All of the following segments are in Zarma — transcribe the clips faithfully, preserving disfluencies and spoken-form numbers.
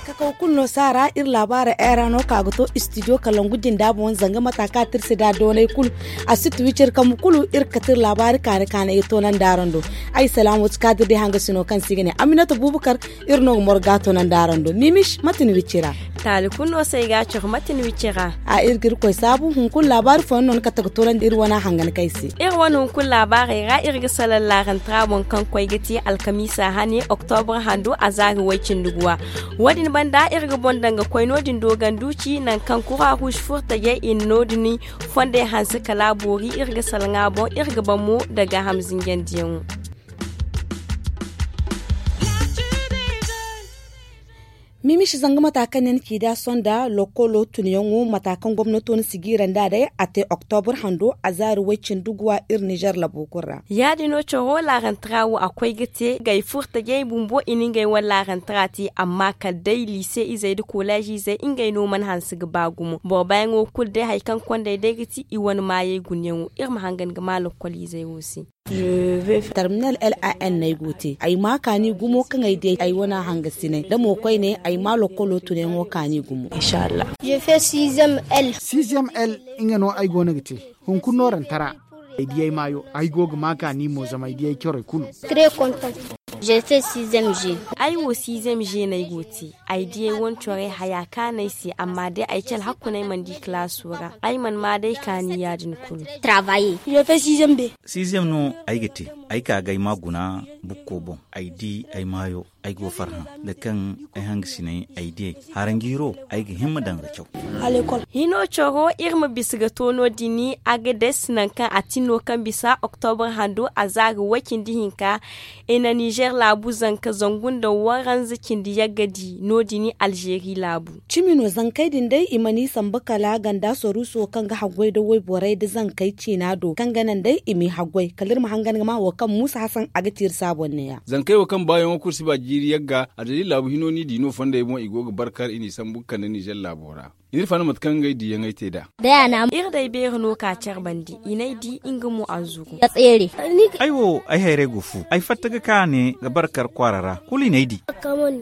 Kakaw kulu no saara iri laabaara era no ka ga to istidiyo kalangu jinda boŋ zanga mata ka tirsi da doonay kulu. A si tuwi ciri kambu kulu iri ga kati iri laabaari kaani kaani ga toonandi araŋ do. Ay salaamu ti kaadir day hanga sino kaŋ se i ga ne aminata buubakar. Iri no ga morga toonandi araŋ do mimis mate ni wicci ra. Taali kulu no se ay ga a coro mate ni wicci ra. A iri ga iri koy saabu hunkuna laabaari fooyaŋ no ni kate ga toonandi iri wane hangan kay se. Iri wane hunkuna laabaarey ra iri ga salaŋ laarantara boŋ kaŋ koy ga te alkamiisa hane oktobra hando azaari way-cindi guwa. Wo- din banda iri ga boŋ daŋ ga koy no- din dooganduuci nangu kaŋ kura ruusi furtajey i na no- din fondey hanse kala a boori iri ga salaŋ a boŋ iri ga baŋ mo daga hamzinjandiyaŋo. Mimiši zanga mata kaŋ ne ni ci da sonda lokolo tunyaŋo mata kaŋ gomnato na sigiira nd'a day a te oktobur hando azaari way-cindi guwa iri nizer labo kulu ra. Ya- din no coro laarantara wo a koy ga te ngey furtajey bumbo i na ngey wane laarantara te amma kala day liise izey nda koleez izey ngey no mana hanse ga ba gumo boro baayaŋo kulu day hari kaŋ kondey day ga ti i wane maayey gunayaŋo iri ma hangan ga ma lokol izey wo se. Terminal l a n no ay go ga te ay ma kaani gumo kaŋ ay di ay wane hangasinay da mo koyne ay ma lokolo tunayaŋo kaani gumo. Sixième l nga no ay go no ga te hunkuna noorantara. Ay di ay maayo ay go ga ma kaani mo zama ay di ay corey kulu. Ay wo sixième g no ay go ga te. Ay di ay wane corey haya kaanu ay se amma day ay ci alhakku no ay mana di kalaaso ra ay mana ma day kaani ya- din kulu. Sixième no ay ga te. Ay ka ga ay ma guna bukko boŋ ay di ay maayo ay go farhã da kaŋ ay hangasinay ay di ay haranjiiro ay ga himma daŋ ga caw. Hino coro iri ma bisa ga to no- din agades nangu kaŋ a tin no kaŋ bisa oktobur hando azaari way-cindi hinka i na nizer laabu zanka zangu nda waranza cindi yagga di no- din alzeeri laabu. Cimi no zankey din day i mana i sambu kala ganda saruuso kaŋ ga haggoy nda wayborey nda zankey ciina do kaŋ ga naŋ day i m'i haggoy kala iri ma hangan ga ma wo kaŋ muusa hasan a ga te iri se a boŋ neeya. Zankey wo kaŋ baayaŋo kulu si ba jiiri yagga a daliila laabu hino no i di no fondey boŋ i go ga barkar i n'i sambu ga kande nizer laabo ra. Iri fanda mate kaŋ ngey diiyaŋey te nd'a. Iri day beeri no ka care bandi i n'ay di nga mo a zuru. Ay wo ay hayrey go fu ay fatta ga ka ne ga barkar kwaara ra kulu i n'ay di.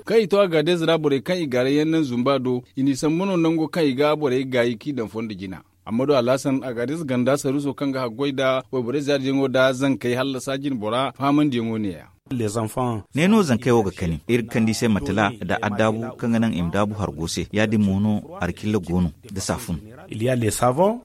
Kaŋ i to agaadez ra borey kaŋ i gaaray yaŋ naŋ zumba do i n'i sambu no nango kaŋ i ga borey gaayi k'i daŋ fondo jina. Amma do alhasan agaadez ganda saruuso kaŋ ga haggoy nda wayborey zaariyaŋo nda zankey hallasa jinbora fahamandiyaŋo neeya. Ne no zankey wo ga kani iri ga kand'i se matela nda addaabu kaŋ ga naŋ i ma daabu hargo se ya- din mo no harcilla go no nda saafun.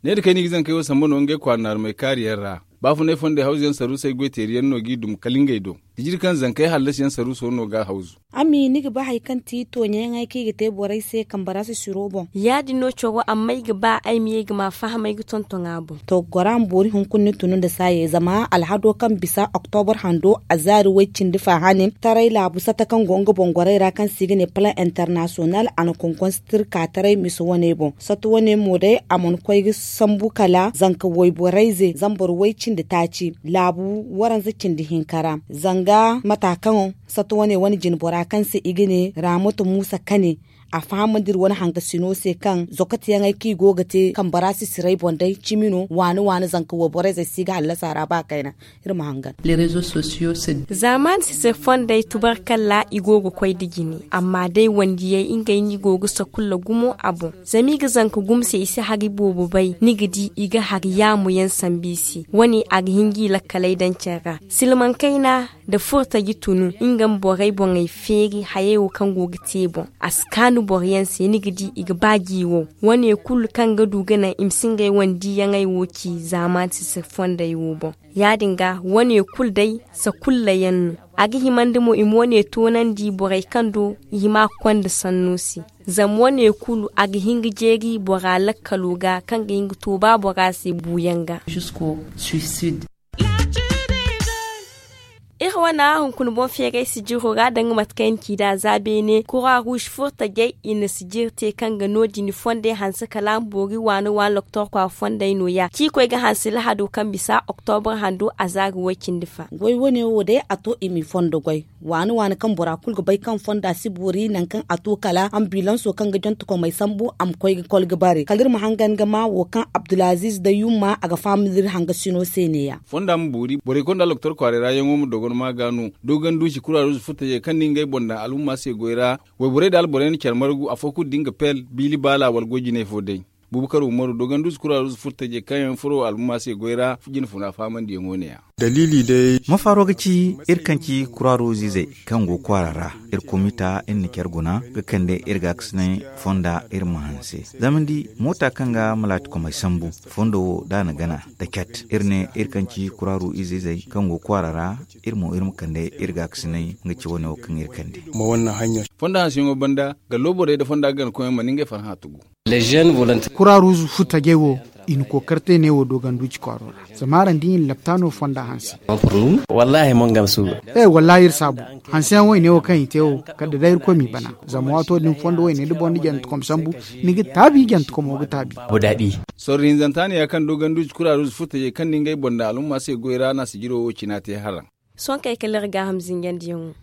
Ne da kayna i ga zankey wo samba no ngey kwaara naarumey kaariyaŋ ra. Baafunay fondey hawzuyaŋ saruusey goyteeriyaŋ no g'i dum kala ngey do. Ijiri kaŋ zankey hallasiyaŋ saruuso no ga hawzu. Amma ni ga ba hari kaŋ ti tooɲayaŋey kaŋ i ga te borey se kambe ra sisiro boŋ. Ya- din no coro amma ay ga ba ay ma ye ga ma fahamay ga tonton a boŋ. To gora ma boori hunkuna ni tunu nda saayey zama alhado kaŋ bisa oktobur hando azaari way-cindi fahanin taray laabu sata kaŋ go nga boŋ gorey ra kaŋ se i ga ne plan international a na konkonse tirka taray mise wane boŋ sata wane mo day a mana koy ga sambu kala zanka wayborey ze zambar way-cindi taaci laabu waranza cindi hinka ra. Zanga mata kaŋ sata wane wane jinbora kaŋ se i ga ne raamatu muusa kane a fahamandi iri wane hangasino se kaŋ zokotiyaŋey kaŋ i go ga te kambe ra sisirey boŋ day cimi no waani waani zanka wayborey zey se i ga hallasa ra ba kayna. Iri ma hangan. Zaamaani sisir fondey tubarkalla i go ga koy nda jine amma day wandiyey ngey no i go ga sakulla gumo a boŋ. Zama i ga zanka gumo se i si hari boobo bay ni ga di i ga hari yaamu yaŋ sambu i se wane a ga hin g'i lakkaley daŋ care ra silmaŋ kayna nda furtaji tunu nga ma borey boŋey feeri hayey wo kaŋ go ga te boŋ a si kaanu boroyaŋ se ni ga di i ga ba g'i wo wane kulu kaŋ ga du ga naŋ i ma si ngey wane diiyaŋey wo ci zaamaani sisir fondey wo boŋ. Ya- din ga wane kulu day sakulla yaŋ no. A ga himandi mo i ma wane toonandi borey kaŋ do i hima ga konda sanno se. Zama wane kulu a ga hin ga jeeri bora lakkalo ga kaŋ ga hin ga to ba bora se buuyaŋ ga. Iri wana hunkuna boŋ feeray sijiro ra danga mate kaŋ i na ci nd'a za beene kura ruuz furtajey i na sijir te kaŋ ga no- din fondey hanse kala a ma boori waani waani loktor kwaara fondey nooya ci koy ga hanse lahado kaŋ bisa oktobra hando a za ga way- cindi fa. Goy wane wo day a to i m'i fondo goy waani waani kaŋ bora kulu ga bay kaŋ fonda si boori nangu kaŋ a to kala ambilanso kaŋ ga jantakomey sambu a ma koy ga kol ga bare kala iri ma hangan ga ma wo kaŋ abdulaziiz da yumma a ga faham da iri hangasino se neeya. Fonda ma boori borey konda loktor kwaaray ra yaŋo ma dogon ma ga no. Dogon duusi kura ruuzu furtajey kaŋ na ngey boŋ daŋ alhumma se goy ra. Wayborey nda alborey na care margu afo kulu da nga pel biili baala wala goy jinay fo day. Buubu kar umaru dogon duusi kura ruuzu furtajey kaŋ yaŋ furo alhumma se goy ra. Jinfuna fahamandiyaŋo neeya. Daliili day. Mafaaro ga ci iri kaŋ ci kura ruuzu izey kaŋ go kwaara ra. Iri komita iri na care guna ga kande iri gaakasinay fonda iri ma hanse. Zama ni di moota kaŋ ga malaatikomey sambu fondo wo da a na gana da cat iri ne iri kaŋ ci kura ruuzu izey kaŋ go kwaara ra. Iri mo iri ma kande iri gaakasinay nga ci wane wo kaŋ iri kande. Fonda hanseyaŋo banda gallo borey nda fonda ganakoyyaŋ mana ngey farhã tugu. Kura ruuzu furtajey wo i na kookar te neewo doganduuci kwaaro ra. Zama araŋ di i na laptaano fonda hanse. Wallaahi iri saabu hanseyaŋ wo i ne wo kaŋ i te wo kala da day irkoy m'i bana. Zama waato din fondo wo i ne da boro na jantakom sambu ni ga taabi jantakomo ga taabi. Sorro hinzanta ne ya kaŋ doganduuci kura ruuzu furtajey kaŋ na ngey boŋ daŋ alhumma se goy ra no a sijiro wo cina te haraŋ. Sohõ kay kala iri gaaham zinjandiyaŋo.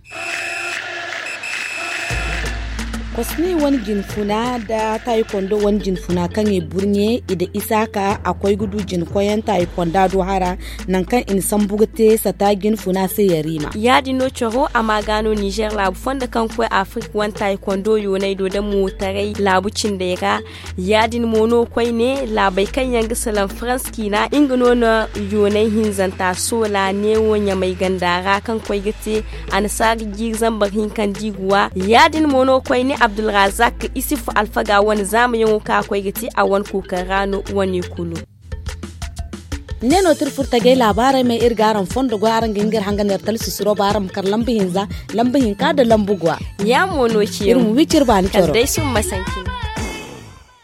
Kosney wane jinfuna nda taayi kondo wane jinfuna kaŋ i burɲe i da isaaka a koy ga du jina koyyaŋ taayi konda do hara. Nangu kaŋ i na sambu ga te sata jinfuna se yariima ya- din no coro a ma ga no nizer laabu fondo kaŋ ga koy afirik wane taayi kondo yoonay do da mootaray laabu cindey ra. Ya- din mo no koyne laabey kaŋ yaŋ ga salaŋ farans ciina nga no na yoonay hinzanta soola neewo ɲamay ganda ra kaŋ koy ga te annasaara jiiri zambar hinka nda i ga wa. Ya- din mo no koyne abdulrazak isuf alfaga wane zaamayaŋo kaŋ a koy ga te a wane kookari ra no wane kulu. Ne no tira furtajey laabaarey may iri ga araŋ fondo goy araŋ ga hin ga iri hangan iri tala sisiro ba araŋ ma kar lamba hinza lamba hinka nda lamba gwa. Ya- mo no ci iri ma wi ciri baani coro day summa sanki.